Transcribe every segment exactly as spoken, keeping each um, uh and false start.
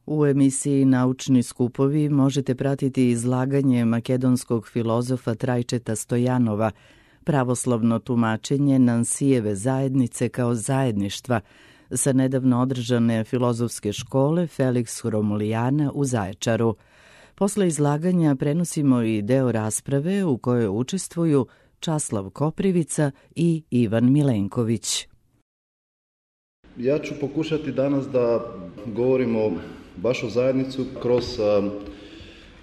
U emisiji Naučni skupovi možete pratiti izlaganje makedonskog filozofa Trajčeta Stojanova, pravoslavno tumačenje Nansijeve zajednice kao zajedništva sa nedavno održane filozofske škole Felix Romulijana u Zaječaru. Posle izlaganja prenosimo i deo rasprave u kojoj učestvuju Časlav Koprivica i Ivan Milenković. Ja ću pokušati danas da govorimo baš o zajednicu kroz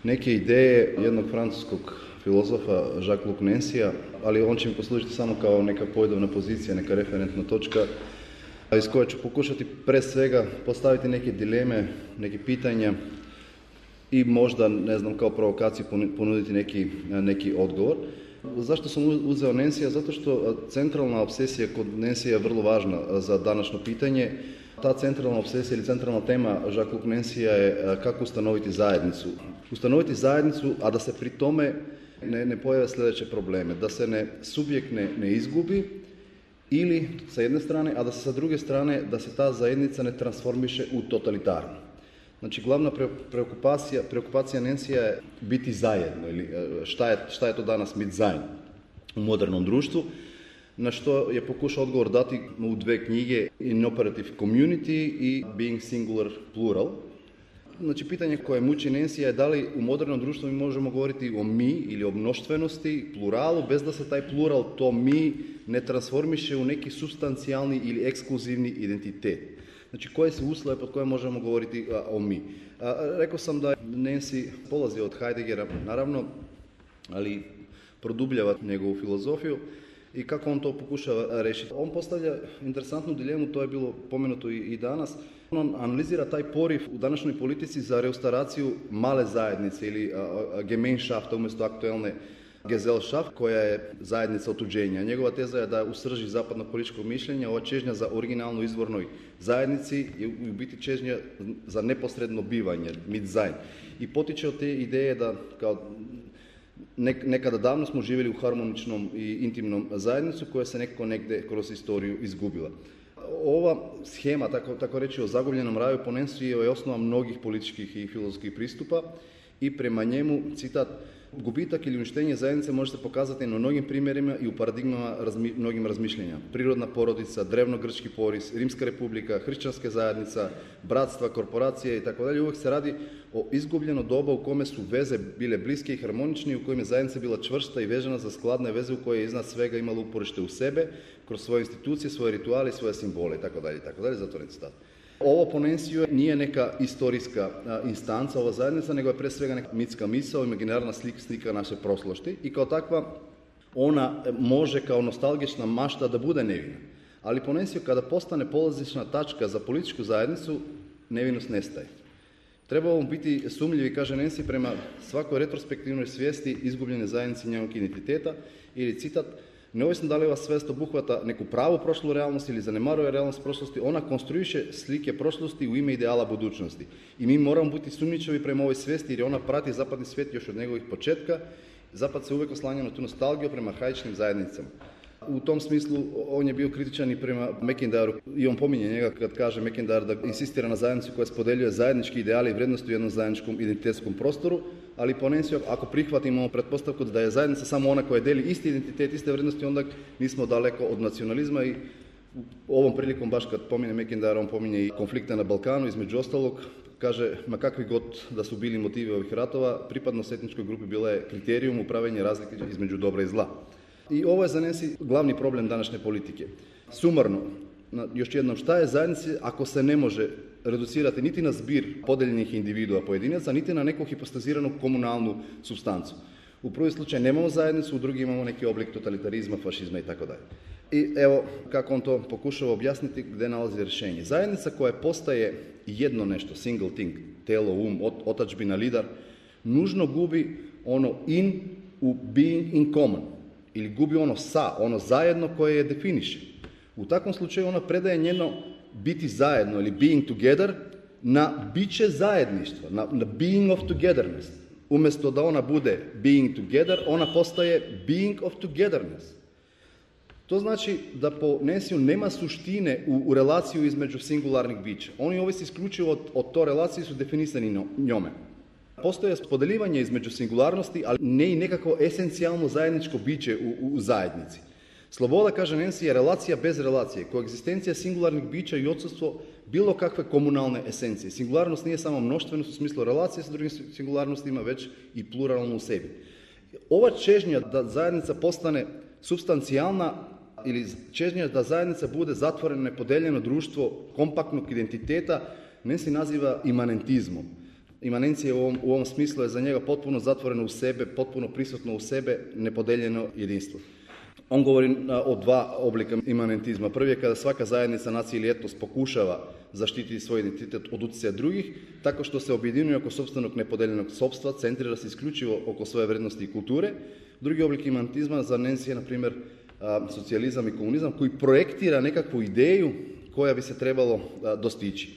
neke ideje jednog francuskog filozofa Jacques-Luc Nancyja, ali on će mi poslužiti samo kao neka pojdovna pozicija, neka referentna točka iz koje ću pokušati pre svega postaviti neke dileme, neke pitanja i možda, ne znam, kao provokaciju ponuditi neki, neki odgovor. Zašto sam uzeo Nancyja? Zato što centralna obsesija kod Nancyja je vrlo važna za današnje pitanje. Ta centralna obsesija ili centralna tema Jacques-Luc Nancyja je kako ustanoviti zajednicu. Ustanoviti zajednicu, a da se pri tome ne, ne pojave sljedeće probleme. Da se ne subjekt ne, ne izgubi ili sa jedne strane, a da se sa druge strane da se ta zajednica ne transformiše u totalitarnu. Znači, glavna preokupacija, preokupacija Nancyja je biti zajedno, ili šta je, šta je to danas biti zajedno u modernom društvu, na što je pokušao odgovor dati u dve knjige, In-Operative Community i Being Singular Plural. Znači, pitanje koje muči Nancyja je da li u modernom društvu mi možemo govoriti o mi ili o mnoštvenosti, pluralu, bez da se taj plural, to mi, ne transformiše u neki substancijalni ili ekskluzivni identitet. Znači, koje su uslove pod koje možemo govoriti a, o mi. A, rekao sam da Nancy polazi od Heideggera, naravno, ali produbljava njegovu filozofiju i kako on to pokušava rešiti. On postavlja interesantnu dilemu, to je bilo pomenuto i, i danas. On analizira taj poriv u današnjoj politici za restauraciju male zajednice ili a, a, Gemeinschafta umjesto aktuelne Gesellschaft, koja je zajednica otuđenja. Njegova teza je da u srži zapadnog političkog mišljenja ova čežnja za originalnu izvornoj zajednici je u biti čežnja za neposredno bivanje, mit zajedn. I potiče od te ideje da kao nekada davno smo živjeli u harmoničnom i intimnom zajednicu koja se nekako negde kroz istoriju izgubila. Ova schema, tako, tako reći, o zagubljenom raju po Nancyju je osnova mnogih političkih i filozofskih pristupa i prema njemu, citat, gubitak ili uništenje zajednice može se pokazati na mnogim primjerima i u paradigmama razmi, mnogim razmišljenja. Prirodna porodica, drevno-grčki poris, Rimska republika, hrišćanska zajednica, bratstva, korporacije i tako dalje. Uvijek se radi o izgubljeno doba u kome su veze bile bliske i harmonične, u kojem je zajednica bila čvrsta i vežana za skladne veze u koje je iznad svega imala uporište u sebe, kroz svoje institucije, svoje rituale i svoje simbole i tako dalje i tako dalje. Zatvoren citat. Ovo po Nancyju nije neka istorijska a, instanca, ova zajednica, nego je pre svega neka mitska misao, imaginarna slika, slika naše prošlosti i kao takva ona može kao nostalgična mašta da bude nevina. Ali po Nancyju kada postane polazišna tačka za političku zajednicu, nevinost nestaje. Treba vam biti sumnjivi, kaže Nancy, prema svakoj retrospektivnoj svijesti izgubljene zajednice njenog identiteta ili citat, neovisno da li ova svijest obuhvata neku pravu prošlu realnost ili zanemaruje realnost prošlosti, ona konstruiše slike prošlosti u ime ideala budućnosti. I mi moramo biti sumnjičavi prema ovoj svijesti jer ona prati zapadni svijet još od njegovih početka. Zapad se uvijek oslanja na tu nostalgiju prema arhaičnim zajednicama. U tom smislu on je bio kritičan i prema McIntyru i on pominje njega kad kaže McIntyre da insistira na zajednicu koja spodeljuje zajednički ideali i vrijednosti u jednom zajedničkom identitetskom prostoru, ali po Nancyju ako prihvatimo pretpostavku da je zajednica samo ona koja deli isti identitet, iste vrijednosti, onda nismo daleko od nacionalizma i ovom prilikom baš kad pominje McIntyre, on pominje i konflikte na Balkanu, između ostalog, kaže, ma kakvi god da su bili motivi ovih ratova, pripadnost etničkoj grupi bila je kriterijum upravljanja razlike između dobra i zla. I ovo je za Nancy glavni problem današnje politike. Sumarno, još jednom, šta je zajednica ako se ne može reducirati niti na zbir podeljenih individua pojedinaca, niti na neku hipostaziranu komunalnu supstancu. U prvi slučaj nemamo zajednicu, u drugi imamo neki oblik totalitarizma, fašizma i tako dalje. I evo kako on to pokušava objasniti gdje nalazi rješenje. Zajednica koja postaje jedno nešto, single thing, telo, um, otadžbina, lider, nužno gubi ono in u being in common. Ili gubi ono sa, ono zajedno koje je definiše. U takvom slučaju ona predaje njeno biti zajedno ili being together na biće zajedništva, na, na being of togetherness. Umjesto da ona bude being together, ona postaje being of togetherness. To znači da po Nansiju nema suštine u, u relaciju između singularnih bića. Oni ovisi isključivo od, od to relacije su definisani njome. Postoje podeljivanje između singularnosti, ali ne i nekako esencijalno zajedničko biće u, u, u zajednici. Sloboda, kaže Nancy, je relacija bez relacije, koegzistencija singularnih bića i odsustvo bilo kakve komunalne esencije. Singularnost nije samo mnoštvenost u smislu relacije sa drugim singularnostima, već i pluralno u sebi. Ova čežnja da zajednica postane substancijalna ili čežnja da zajednica bude zatvoreno, nepodeljeno društvo kompaktnog identiteta, Nancy naziva imanentizmom. Imanencija u ovom, u ovom smislu je za njega potpuno zatvoreno u sebe, potpuno prisutno u sebe, nepodeljeno jedinstvo. On govori o dva oblika imanentizma. Prvi je kada svaka zajednica, nacija ili etnos pokušava zaštititi svoj identitet od utjecaja drugih, tako što se objedinjuje oko sopstvenog nepodeljenog sopstva, centrira se isključivo oko svoje vrednosti i kulture. Drugi oblik imanentizma za Nancy je, na primjer, socijalizam i komunizam, koji projektira nekakvu ideju koja bi se trebalo dostići.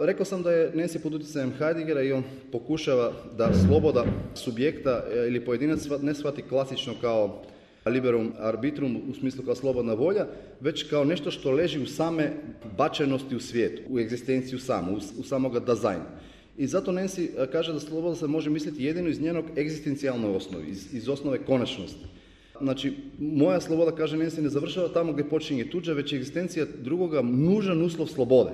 Rekao sam da je Nancy pod utjecajem Heideggera i on pokušava da sloboda subjekta ili pojedinac ne shvati klasično kao liberum arbitrum u smislu kao slobodna volja, već kao nešto što leži u same bačenosti u svijetu, u egzistenciju samu, u, u samoga dizajna. I zato Nancy kaže da sloboda se može misliti jedino iz njenog egzistencijalne osnovi, iz, iz osnove konačnosti. Znači, moja sloboda, kaže Nancy, ne završava tamo gdje počinje tuđa, već je egzistencija drugoga nužan uslov slobode.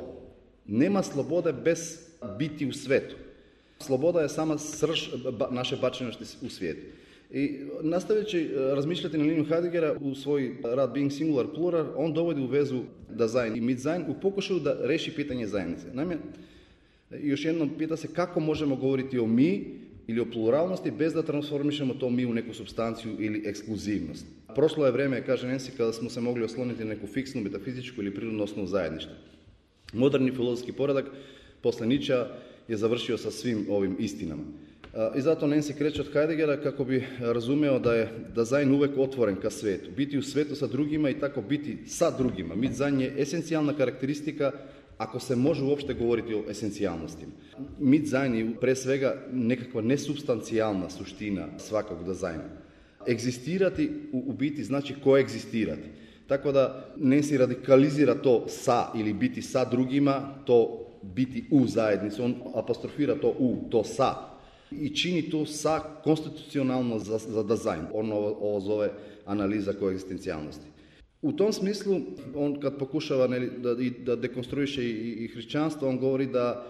Nema slobode bez biti u svetu. Sloboda je sama srž naše bačenosti u svijetu. I nastavljajući razmišljati na liniju Heideggera u svoj rad Being Singular Plural, on dovodi u vezu design i mid-design u pokušaju da reši pitanje zajednice. Naime, još jednom pita se kako možemo govoriti o mi ili o pluralnosti bez da transformišemo to mi u neku supstanciju ili ekskluzivnost. Prošlo je vrijeme, kaže Nancy, kada smo se mogli osloniti na neku fiksnu, metafizičku ili prirodnu osnovu zajedništva. Moderni filozofski poredak posle Nietzschea je završio sa svim ovim istinama. I zato Nancy kreće od Heideggera kako bi razumeo da je dizajn uvek otvoren ka svetu. Biti u svetu sa drugima i tako biti sa drugima. Mid-design je esencijalna karakteristika ako se može uopšte govoriti o esencijalnostima. Mid-design je pre svega nekakva nesubstancijalna suština svakog dizajna. Egzistirati u, u biti znači koegzistirati. Tako da Nancy radikalizira to sa ili biti sa drugima, to biti u zajednici. On apostrofira to u, to sa. I čini to sa konstitucionalno za, za dizajn. On ovo, ovo zove analiza koegzistencijalnosti. U tom smislu, on kad pokušava ne, da, da dekonstruiše i, i hrišćanstvo, on govori da,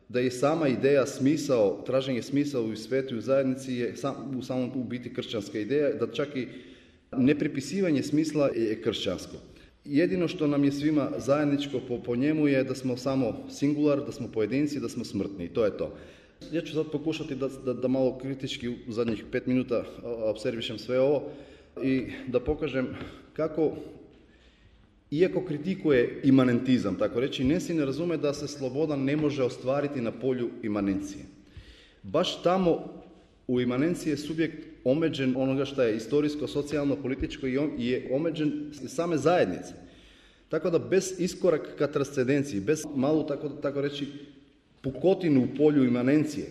da je sama ideja smisao, traženje smisao u svetu i u zajednici je sam, u samom u biti kršćanska ideja, da čak i nepripisivanje smisla je kršćansko. Jedino što nam je svima zajedničko po, po njemu je da smo samo singular, da smo pojedinci, da smo smrtni i to je to. Ja ću sad pokušati da, da, da malo kritički u zadnjih pet minuta observišem sve ovo i da pokažem kako, iako kritikuje imanentizam, tako reći, Nancy ne razume da se sloboda ne može ostvariti na polju imanencije. Baš tamo u imanenciji je subjekt omeđen onoga što je istorijsko, socijalno, političko i on je omeđen same zajednice. Tako da bez iskoraka ka transcendenciji, bez malu, tako, tako reći, pukotinu u polju imanencije,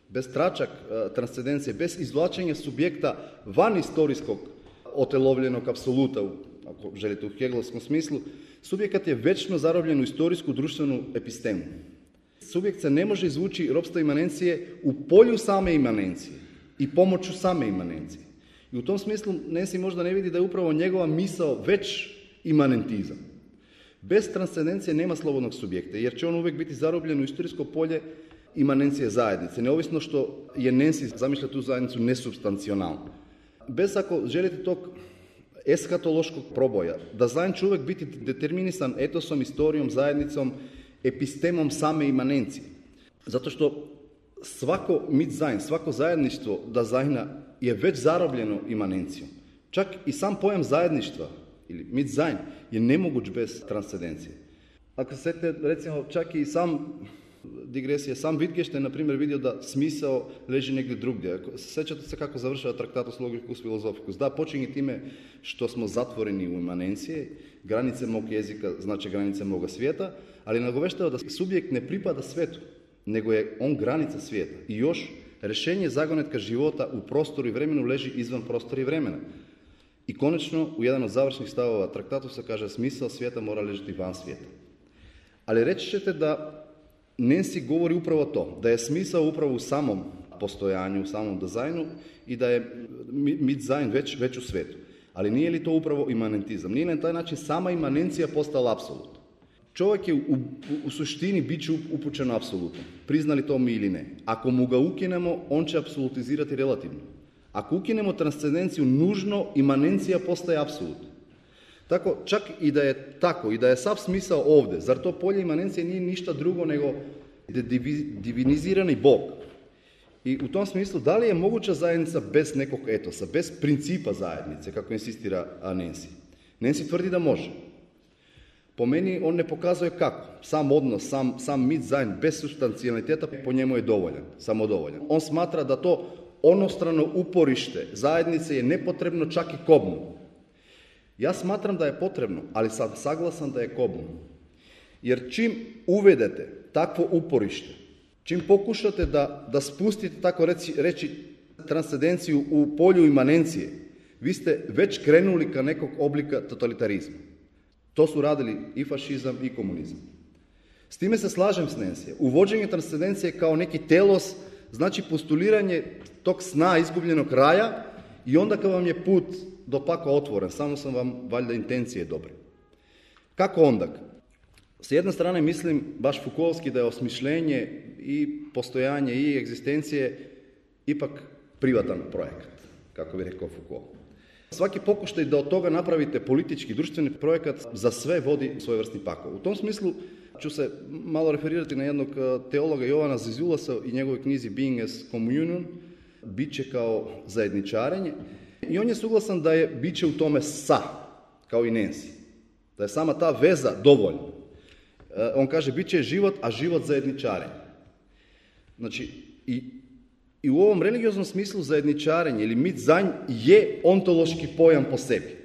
bez tračak uh, transcendencije, bez izvlačenja subjekta van istorijskog otelovljenog apsoluta, ako želite u Hegelovskom smislu, subjekat je večno zarobljen u istorijsku društvenu epistemu. Subjekt se ne može izvući ropstva imanencije u polju same imanencije i pomoću same imanencije. I u tom smislu Nancy možda ne vidi da je upravo njegova misao već imanentizam. Bez transcendencije nema slobodnog subjekta, jer će on uvijek biti zarobljen u istorijsko polje imanencije zajednice, neovisno što je Nancy zamišlja tu zajednicu nesubstancionalno. Bez, ako želite, tog eskatološkog proboja, da dizajn će uvijek biti determinisan etosom, istorijom, zajednicom, epistemom same imanencije. Zato što svako mid-design, svako zajedništvo dizajna je već zarobljeno imanencijom. Čak i sam pojam zajedništva ili mid-design je nemoguć bez transcendencije. Ako se sjetite, recimo, čak i sam digresija, sam Wittgenstein, na primjer, vidio da smisao leži negdje drugdje. Sjećate se kako završava Tractatus Logicus Philosophicus. Da, počinje time što smo zatvoreni u imanencije, granice mog jezika znači granice moga svijeta, ali nagoveštava da subjekt ne pripada svetu, nego je on granica svijeta. I još, rješenje zagonetka života u prostoru i vremenu leži izvan prostora i vremena. I konačno, u jedan od završnih stavova traktatu se kaže smisao svijeta mora ležiti van svijeta. Ali reći ćete da Nancy govori upravo to, da je smisao upravo u samom postojanju, u samom dizajnu i da je mit-dizajn već, već u svijetu. Ali nije li to upravo imanentizam? Nije li na taj način sama imanencija postala apsolut? Čovjek je u, u, u suštini bit će upućen apsolutno, priznali to mi ili ne. Ako mu ga ukinemo, on će apsolutizirati relativno. Ako ukinemo transcendenciju, nužno imanencija postaje apsolutno. Tako, čak i da je tako, i da je sav smisao ovdje, zar to polje imanencije nije ništa drugo nego divinizirani Bog? I u tom smislu, da li je moguća zajednica bez nekog etosa, bez principa zajednice, kako insistira Nancy? Nancy tvrdi da može. Po meni on ne pokazuje kako. Sam odnos, sam, sam mit-dizajn bez substancialiteta po njemu je dovoljan, samodovoljan. On smatra da to onostrano uporište zajednice je nepotrebno čak i kobnu. Ja smatram da je potrebno, ali sam saglasan da je kobnu. Jer čim uvedete takvo uporište, čim pokušate da, da spustite, tako reći, reći, transcendenciju u polju imanencije, vi ste već krenuli ka nekog oblika totalitarizma. To su radili i fašizam i komunizam. S time se slažem s Nancy. Uvođenje transcendencije kao neki telos znači postuliranje tog sna izgubljenog raja i onda kad vam je put do pakla otvoren, samo sam vam valjda intencije dobre. Kako onda? S jedne strane mislim, baš Foucaultski, da je osmišljenje i postojanje i egzistencije ipak privatan projekat, kako bi rekao Foucault. Svaki pokušaj da od toga napravite politički, društveni projekat za sve vodi svojevrsni pakao. U tom smislu ću se malo referirati na jednog teologa Jovana Zizulasa i njegovoj knjizi Being as Communion, biće kao zajedničarenje. I on je suglasan da je biće u tome sa, kao i Nancy. Da je sama ta veza dovoljna. On kaže, biće je život, a život zajedničarenje. Znači, i, i u ovom religioznom smislu zajedničarenje ili mit-dizajn je ontološki pojam po sebi.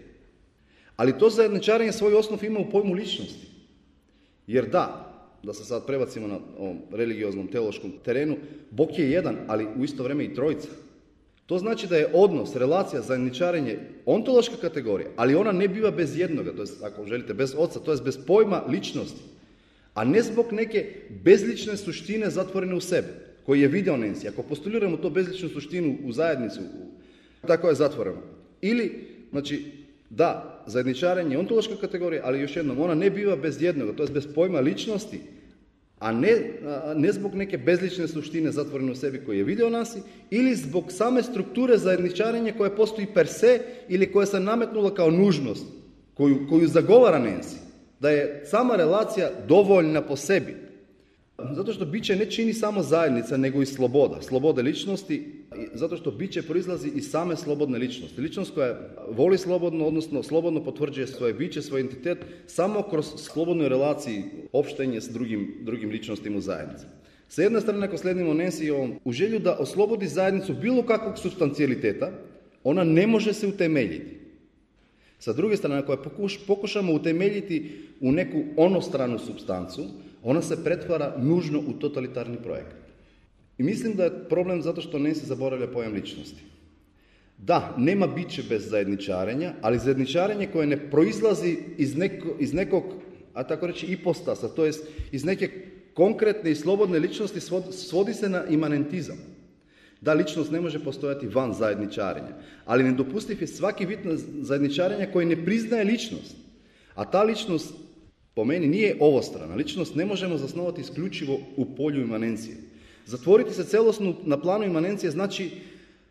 Ali to zajedničarenje svoj osnov ima u pojmu ličnosti. Jer da, da se sad prebacimo na ovom religioznom, teološkom terenu, Bog je jedan, ali u isto vrijeme i trojica. To znači da je odnos, relacija, zajedničarenje ontološka kategorija, ali ona ne biva bez jednoga, to jest, ako želite, bez oca, to jest bez pojma ličnosti, a ne zbog neke bezlične suštine zatvorene u sebe, koji je video Nancy. Ako postuliramo to bezličnu suštinu u zajednicu, tako je zatvoreno. Ili, znači, da, zajedničarenje je ontološka kategorija, ali još jednom, ona ne biva bez jednoga, to jest bez pojma ličnosti, a ne, a ne zbog neke bezlične suštine zatvorene u sebi koji je vidio nas, ili zbog same strukture zajedničarenja koja postoji per se ili koja se nametnula kao nužnost, koju, koju zagovara Nancy, da je sama relacija dovoljna po sebi. Zato što biće ne čini samo zajednica, nego i sloboda, slobode ličnosti, zato što biće proizlazi iz same slobodne ličnosti. Ličnost koja voli slobodno, odnosno slobodno potvrđuje svoje biće, svoj identitet, samo kroz slobodnoj relaciji opštenje s drugim, drugim ličnostima u zajednici. Sa jedne strane, ako sledimo Nancy u želju da oslobodi zajednicu bilo kakvog substancialiteta, ona ne može se utemeljiti. Sa druge strane, ako je pokuš, pokušamo utemeljiti u neku onostranu supstancu, ona se pretvara nužno u totalitarni projekat. I mislim da je problem zato što Nancy zaboravlja pojam ličnosti. Da, nema biće bez zajedničarenja, ali zajedničarenje koje ne proizlazi iz, neko, iz nekog, a tako reći, ipostasa, to jest iz neke konkretne i slobodne ličnosti svodi, svodi se na imanentizam. Da, ličnost ne može postojati van zajedničarenja, ali nedopustiv je svaki vid zajedničarenja koji ne priznaje ličnost. A ta ličnost, po meni, nije ovostrana. Ličnost ne možemo zasnovati isključivo u polju imanencije. Zatvoriti se celosno na planu imanencije znači,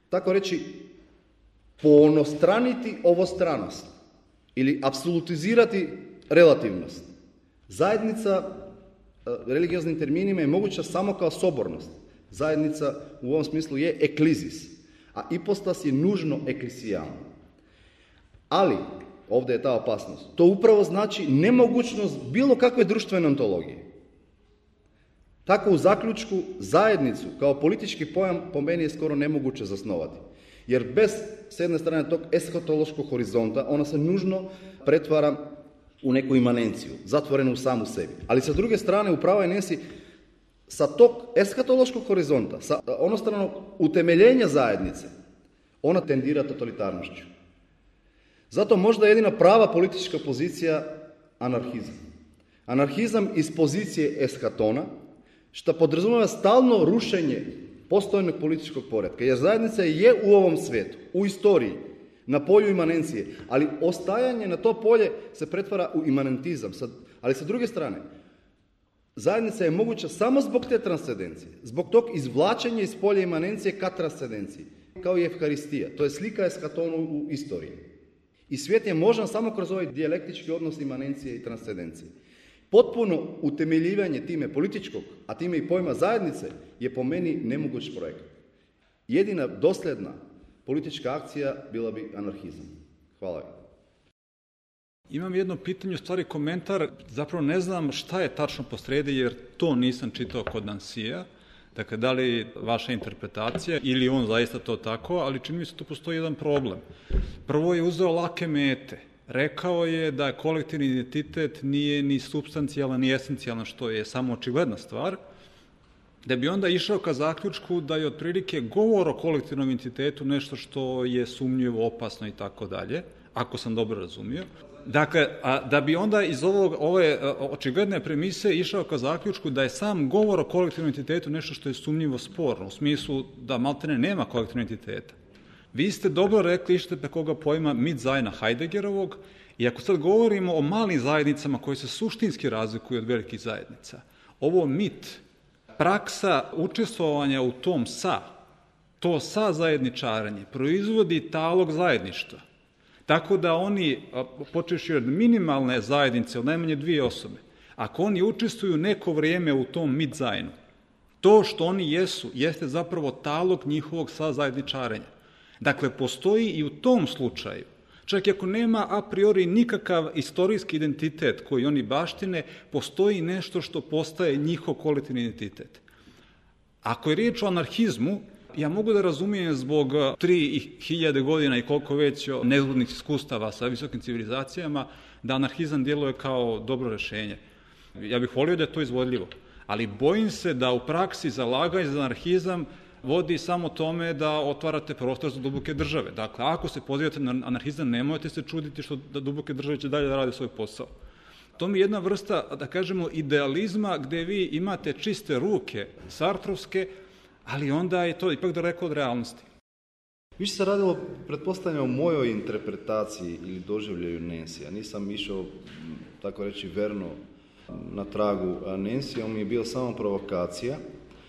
tako reći, poonostraniti ovostranost ili apsolutizirati relativnost. Zajednica, religioznim terminima, je moguća samo kao sobornost. Zajednica u ovom smislu je eklizis, a ipostas je nužno eklisijalno. Ali, ovdje je ta opasnost, to upravo znači nemogućnost bilo kakve društvene ontologije. Tako u zaključku zajednicu kao politički pojam po meni je skoro nemoguće zasnovati. Jer bez, s jedne strane, tog eskatološkog horizonta, ona se nužno pretvara u neku imanenciju, zatvorenu u samu sebi. Ali sa druge strane, upravo je Nancy, sa tog eskatološkog horizonta, sa onostranog utemeljenja zajednice, ona tendira totalitarnošću. Zato možda jedina prava politička pozicija anarhizam. Anarhizam iz pozicije eskatona, što podrazumijeva stalno rušenje postojnog političkog poretka. Jer zajednica je u ovom svijetu, u istoriji, na polju imanencije, ali ostajanje na to polje se pretvara u imanentizam. Ali sa druge strane, zajednica je moguća samo zbog te transcendencije, zbog tog izvlačenja iz polja imanencije ka transcendenciji, kao i Evharistija. To je slika eskatonu u istoriji. I svijet je možan samo kroz ovaj dijalektički odnos imanencije i transcendencije. Potpuno utemeljivanje time političkog, a time i pojma zajednice, je po meni nemoguć projekt. Jedina dosljedna politička akcija bila bi anarhizam. Hvala. Imam jedno pitanje, u stvari komentar, zapravo ne znam šta je tačno posrijedi, jer to nisam čitao kod Nansija. Dakle, da li vaša interpretacija ili on zaista to tako, ali čini mi se tu postoji jedan problem. Prvo je uzeo lake mete. Rekao je da kolektivni identitet nije ni supstancijalan, ni esencijalan, što je samo očigledna stvar, da bi onda išao ka zaključku da je otprilike govor o kolektivnom identitetu nešto što je sumnjivo, opasno i tako dalje, ako sam dobro razumio. Dakle, a da bi onda iz ovog, ove očigledne premise išao ka zaključku da je sam govor o kolektivnom identitetu nešto što je sumnjivo sporno, u smislu da maltene nema kolektivnog identiteta. Vi ste dobro rekli, išete preko koga pojma Mitzajna Heideggerovog, i ako sad govorimo o malim zajednicama koje se suštinski razlikuju od velikih zajednica, ovo mit, praksa učestvovanja u tom sa, to sa zajedničaranje, proizvodi talog zajedništva. Tako da oni, počevši od minimalne zajednice, od najmanje dvije osobe, ako oni učestvuju neko vrijeme u tom Mitzajnu, to što oni jesu, jeste zapravo talog njihovog sa zajedničarenja. Dakle, postoji i u tom slučaju, čak i ako nema a priori nikakav istorijski identitet koji oni baštine, postoji nešto što postaje njihov kolektivni identitet. Ako je riječ o anarhizmu, ja mogu da razumijem zbog tri hiljade godina i koliko već nezgodnih iskustava sa visokim civilizacijama, da anarhizam djeluje kao dobro rješenje. Ja bih volio da je to izvodljivo, ali bojim se da u praksi zalaganje za anarhizam vodi samo tome da otvarate prostor za duboke države. Dakle, ako se pozivate na anarhizam, nemojte se čuditi što da duboke države će dalje da rade svoj posao. To mi je jedna vrsta, da kažemo, idealizma gdje vi imate čiste ruke sartrovske, ali onda je to ipak daleko od realnosti. Više se radilo, pretpostavljam, o mojoj interpretaciji ili doživljaju Nansija. Nisam išao, tako reći, verno na tragu Nansija, on mi je bio samo provokacija,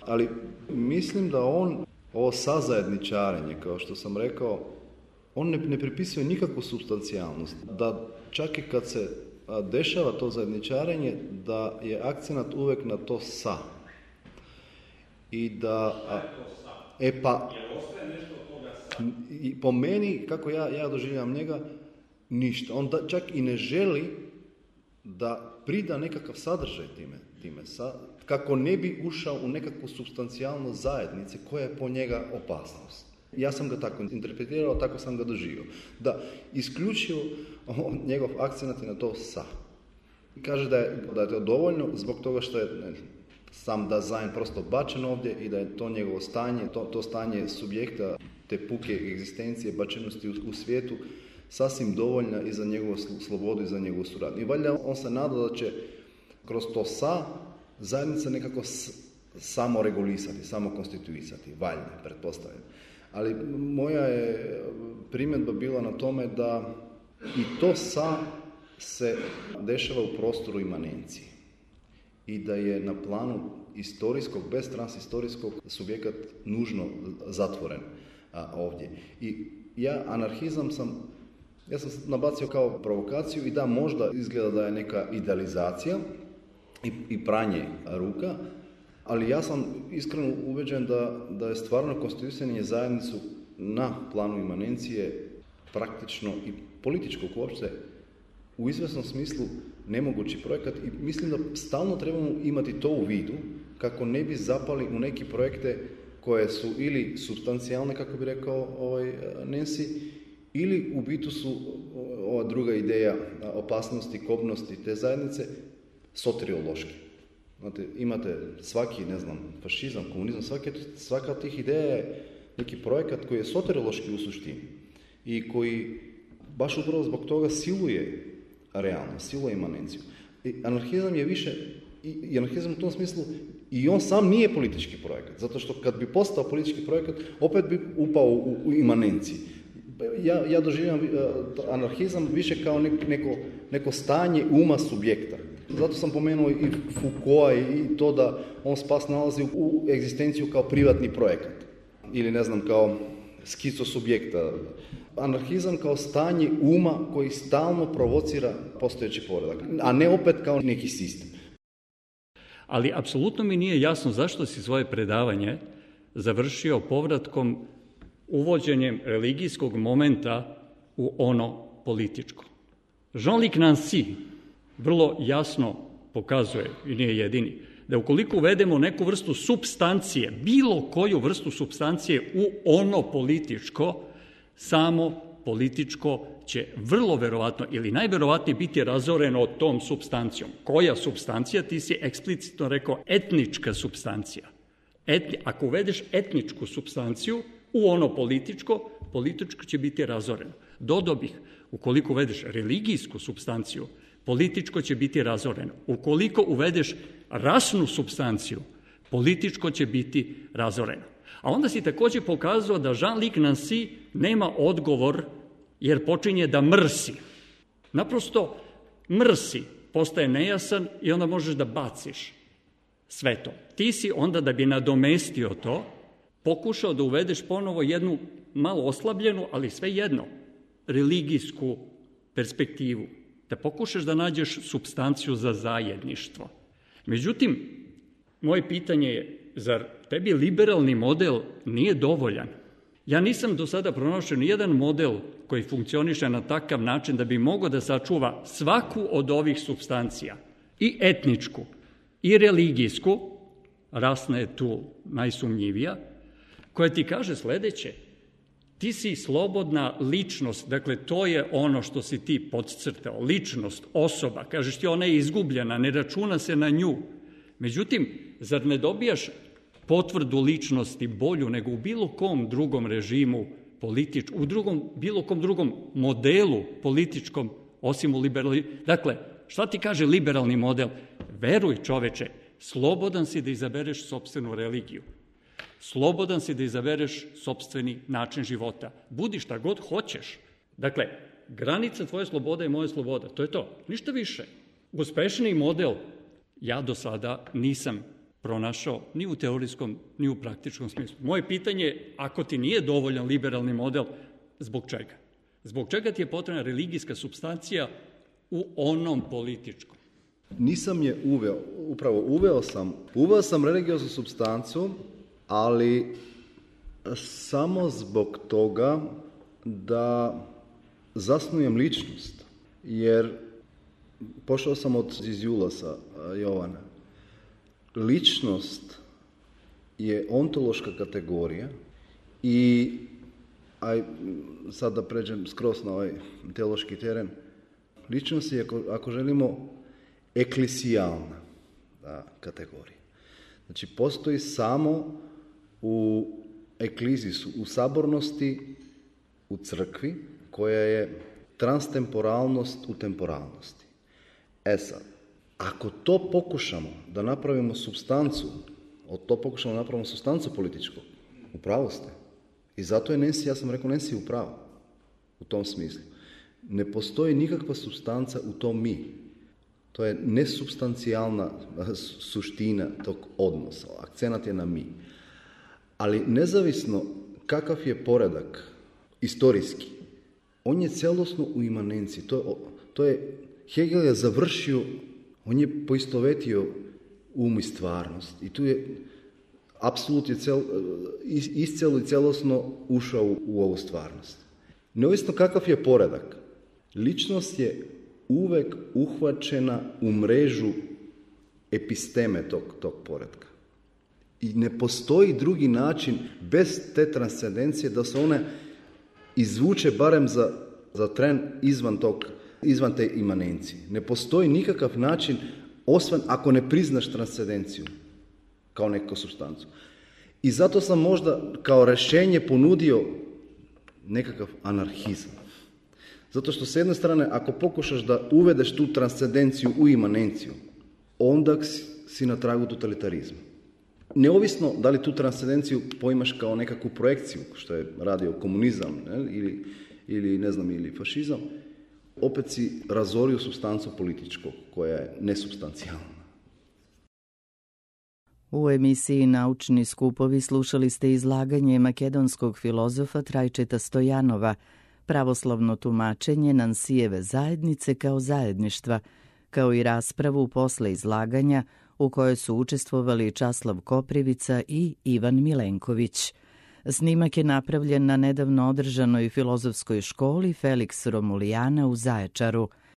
ali mislim da on, ovo sazajedničarenje, kao što sam rekao, on ne, ne pripisuje nikakvu supstancijalnost. Da čak i kad se dešava to zajedničarenje, da je akcenat uvek na to sa. I da... A, e pa... I po meni, kako ja, ja doživljam njega, ništa. On da, čak i ne želi da prida nekakav sadržaj time, time sa, kako ne bi ušao u nekakvu supstancijalnost zajednice koja je po njega opasnost. Ja sam ga tako interpretirao, tako sam ga doživio. Da, isključio njegov akcenat na to sa. Kaže da je, da je to dovoljno zbog toga što je ne, sam dizajn prosto bačen ovdje i da je to njegovo stanje, to, to stanje subjekta, te puke egzistencije, bačenosti u, u svijetu, sasvim dovoljna i za njegovu slobodu i za njegovu suradnju. I valjda on se nada da će kroz to sa zajednica nekako s, samo regulisati, samo konstituisati, valjda, pretpostavljam. Ali moja je primjedba bila na tome da i to sa se dešava u prostoru imanencije i da je na planu istorijskog, bez transhistorijskog subjekat nužno zatvoren a, ovdje. I ja anarhizam sam, ja sam nabacio kao provokaciju i da možda izgleda da je neka idealizacija i, i pranje ruka, ali ja sam iskreno ubeđen da, da je stvarno konstituisanje zajednicu na planu imanencije praktično i političkog uopšte u izvjesnom smislu nemogući projekat i mislim da stalno trebamo imati to u vidu kako ne bi zapali u neki projekte koje su ili supstancijalne, kako bi rekao ovaj, Nancy, ili u bitu su ova druga ideja opasnosti, kobnosti te zajednice soteriološki. Znate, imate svaki, ne znam, fašizam, komunizam, svake, svaka od tih ideja je neki projekat koji je soteriološki u suštini i koji baš upravo zbog toga siluje realnost, siluje imanenciju. I anarhizam je više, i anarhizam u tom smislu, i on sam nije politički projekat, zato što kad bi postao politički projekat, opet bi upao u, u imanenciji. Ja, ja doživljam uh, anarhizam više kao nek, neko, neko stanje uma subjekta. Zato sam pomenuo i Foucaulta i to da on spas nalazi u, u egzistenciju kao privatni projekat. Ili ne znam, kao skico subjekta. Anarhizam kao stanje uma koji stalno provocira postojeći poredak, a ne opet kao neki sistem. Ali apsolutno mi nije jasno zašto si svoje predavanje završio povratkom, uvođenjem religijskog momenta u ono političko. Jean-Luc Nancy vrlo jasno pokazuje, i nije jedini, da ukoliko uvedemo neku vrstu supstancije, bilo koju vrstu supstancije u ono političko, samo političko će vrlo verovatno ili najverovatnije biti razoreno tom supstancijom. Koja supstancija? Ti si eksplicitno rekao etnička supstancija. Etni, ako uvedeš etničku supstanciju u ono političko, političko će biti razoreno. Dodao bih, ukoliko uvedeš religijsku supstanciju, političko će biti razoreno. Ukoliko uvedeš rasnu supstanciju, političko će biti razoreno. A onda si također pokazao da Jean-Luc Nancy nema odgovor jer počinje da mrsi. Naprosto mrsi, postaje nejasan i onda možeš da baciš sve to. Ti si onda, da bi nadomestio to, pokušao da uvedeš ponovo jednu malo oslabljenu, ali svejedno, religijsku perspektivu. Da pokušaš da nađeš supstanciju za zajedništvo. Međutim, moje pitanje je, zar tebi liberalni model nije dovoljan? Ja nisam do sada pronašao ni jedan model koji funkcioniše na takav način da bi mogao da sačuva svaku od ovih supstancija, i etničku, i religijsku, rasna je tu najsumnjivija, koja ti kaže sledeće: ti si slobodna ličnost, dakle to je ono što si ti podcrtao, ličnost, osoba, kažeš ti ona je izgubljena, ne računa se na nju. Međutim, zar ne dobijaš potvrdu ličnosti bolju nego u bilo kom drugom režimu političkom, u drugom, bilo kom drugom modelu političkom, osim u liberalni... Dakle, šta ti kaže liberalni model? Veruj, čoveče, slobodan si da izabereš sopstvenu religiju. Slobodan si da izabereš sopstveni način života. Budi šta god hoćeš. Dakle, granica tvoje slobode je moja sloboda. To je to. Ništa više. Uspešniji model ja do sada nisam pronašao ni u teorijskom, ni u praktičkom smislu. Moje pitanje je, ako ti nije dovoljan liberalni model, zbog čega? Zbog čega ti je potrebna religijska supstancija u onom političkom? Nisam je uveo, upravo uveo sam, uveo sam religioznu supstancu, ali samo zbog toga da zasnujem ličnost. Jer pošao sam od iz Julasa Jovana. Ličnost je ontološka kategorija i aj, sad da pređem skroz na ovaj teološki teren, ličnost je, ako, ako želimo, eklesijalna da, kategorija. Znači, postoji samo u eklizisu, u sabornosti, u crkvi, koja je transtemporalnost u temporalnosti. E sad, ako to pokušamo da napravimo supstancu, od to pokušamo da napravimo supstancu političku, u pravu ste. I zato je Nancy, ja sam rekao, Nancy u pravu, u tom smislu. Ne postoji nikakva supstanca u tom mi. To je nesupstancijalna suština tog odnosa. Akcenat je na mi. Ali nezavisno kakav je poredak istorijski, on je celosno u imanenciji. To, to je, Hegel je završio, on je poistovetio um i stvarnost. I tu je apsolut je cel, iscelo i celosno ušao u, u ovu stvarnost. Neovisno kakav je poredak, ličnost je uvek uhvaćena u mrežu episteme tog, tog poretka. I ne postoji drugi način bez te transcendencije da se one izvuče barem za, za tren izvan, tog, izvan te imanencije. Ne postoji nikakav način osvan ako ne priznaš transcendenciju kao neku supstancu. I zato sam možda kao rešenje ponudio nekakav anarhizam. Zato što s jedne strane, ako pokušaš da uvedeš tu transcendenciju u imanenciju, onda si na tragu totalitarizma. Neovisno da li tu transcendenciju poimaš kao nekakvu projekciju, što je radio komunizam, ne, ili, ili, ne znam, ili fašizam, opet si razorio supstancu političkog, koja je nesupstancijalna. U emisiji Naučni skupovi slušali ste izlaganje makedonskog filozofa Trajčeta Stojanova, pravoslavno tumačenje Nansijeve zajednice kao zajedništva, kao i raspravu posle izlaganja u kojoj su učestvovali Časlav Koprivica i Ivan Milenković. Snimak je napravljen na nedavno održanoj filozofskoj školi Felix Romulijana u Zaječaru.